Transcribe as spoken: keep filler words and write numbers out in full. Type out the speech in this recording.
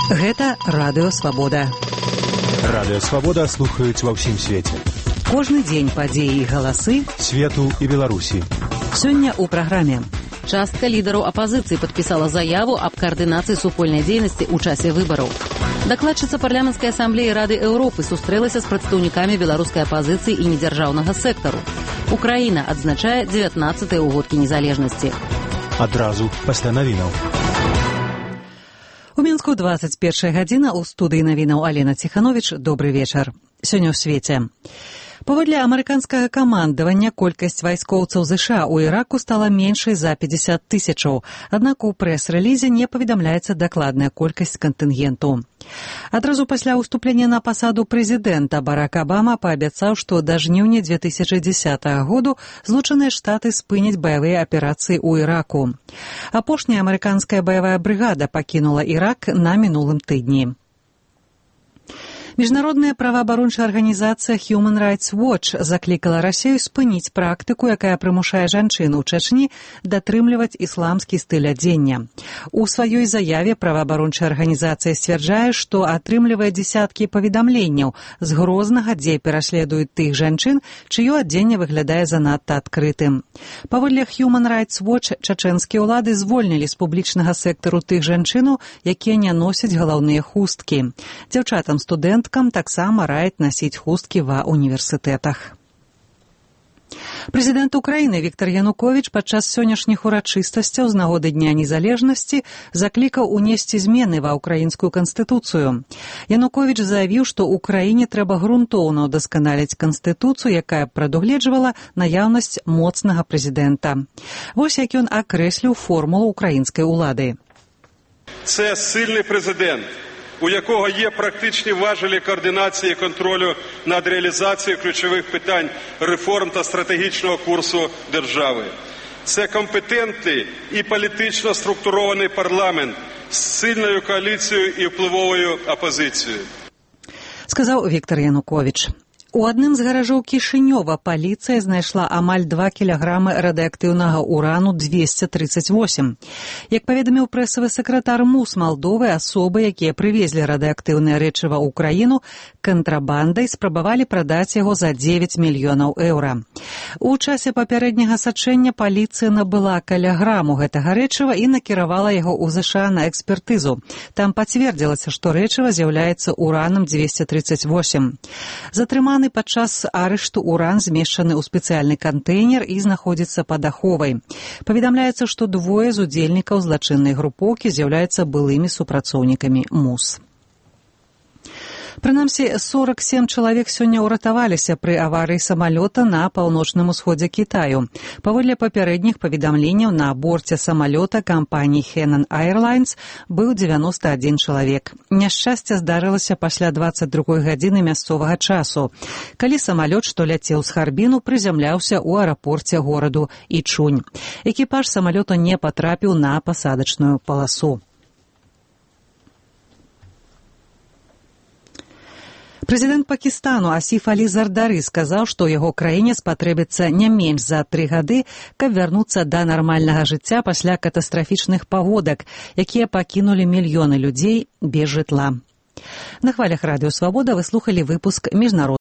Гэта Радыё Свабода. Радыё Свабода слухаюць ва ўсім свеце. Кожны дзень падзеі і галасы свету і Беларусі. Сёння ў праграме. Частка лідараў апазіцыі падпісала заяву аб каардынацыі супольнай дзейнасці ў часе выбараў. Дакладчыца парламенцкай асамблеі Рады Еўропы сустрэлася з прадстаўнікамі беларускай апазіцыі і недзяржаўнага сектару. Украіна адзначае дзевятнаццатыя ўгодкі незалежнасці. Адразу пасля навінаў. У Мінску двадцать першая гадзіна, у студыі навінаў Алена Ціхановіч. Добры вечар. Сёння ў свеце. Паводле амерыканскага камандавання, колькасць вайскоўцаў ЗША ў Іраку стала меншай за пятьдесят тысячаў, аднак у прэс-рэлізе не паведамляецца дакладная колькасць кантынгенту. Адразу пасля ўступлення на пасаду прэзідэнта Барак Абама паабяцаў, што да жніўня две тысячы дзесятага году Злучаныя Штаты спыняць баявыя аперацыі ў Іраку. Апошняя амерыканская баявая брыгада пакінула Ірак на мінулым тыдні. Міжнародная праваабарончая арганізацыя Human Rights Watch заклікала Расію спыніць практыку, якая прымушае жанчын у Чачні датрымліваць ісламскі стыль адзення. У сваёй заяве праваабарончая арганізацыя сцвярджае, што атрымлівае дзесяткі паведамленняў з Грознага, дзе пераследуюць тых жанчын, чыё адзенне выглядае занадта адкрытым. Паводле Human Rights Watch, чачэнскія ўлады звольнілі з публічнага сектару тых жанчынаў, якія не носяць галаўныя хусткі. Дзяўчатам-студэнтам таксама раяць насіць хусткі ва універсітэтах. Прэзідэнт Украіны Віктар Януковіч падчас сённяшніх урачыстасцяў з нагоды Дня незалежнасці заклікаў унесці змены ва ўкраінскую канстытуцыю. Януковіч заявіў, што ўкраіне трэба грунтоўна ўдасканаліць канстытуцыю, якая прадугледжвала наяўнасць моцнага прэзідэнта. Вось як ён акрэсліў формулу ўкраінскай улады. Це сильний президент, у якого є практичні важелі координації і контролю над реалізацією ключових питань реформ та стратегічного курсу держави. Це компетентний і політично структурований парламент з сильною коаліцією і впливовою опозицією. Сказав Віктор Янукович. У адным з гаражоў Кішынёва паліцыя знайшла амаль два кілаграмы радыактыўнага урану двести тридцать восемь. Як паведаміў прэсавы сакратар МУС Малдовы, асобы, якія прывезлі радыактыўнае рэчыва ў краіну, кантрабандай спрабавалі прадаць яго за девять мільёнаў еўра. У часе папярэдняга сачэння паліцыя набыла каля граму гэтага рэчыва і накіравала яго ў ЗША на экспертызу. Там пацвердзілася, што рэчыва з'яўляецца уранам двести тридцать восемь. Затрыманы падчас арышту уран змешчаны ў спецыяльны кантэйнер і знаходзіцца пад аховай. Паведамляецца, што двое з удзельнікаў злачыннай групоўкі з'яўляюцца былымі супрацоўнікамі МУС. Прынамсі, сорок семь чалавек сёння ўратаваліся пры аварыі самалёта на паўночным усходзе Кітаю. Паводле папярэдніх паведамленняў, на борце самалёта кампаніі Henan Airlines быў девяносто один чалавек. Няшчасце здарылася пасля двадцать другой гадзіны мясцовага часу, калі самалёт, што ляцеў з Харбіну, прызямляўся ў аэрапорце гораду Ічунь. Экіпаж самалёта не патрапіў на пасадачную паласу. Прэзідэнт Пакістану Асіф Алі Зардары сказаў, што яго краіне спатрэбіцца не менш за тры гады, каб вярнуцца да нармальнага жыцця пасля катастрафічных паводак, якія пакінулі мільёны людзей без жытла. На хвалях Радыё Свабода вы слухалі выпуск міжнародных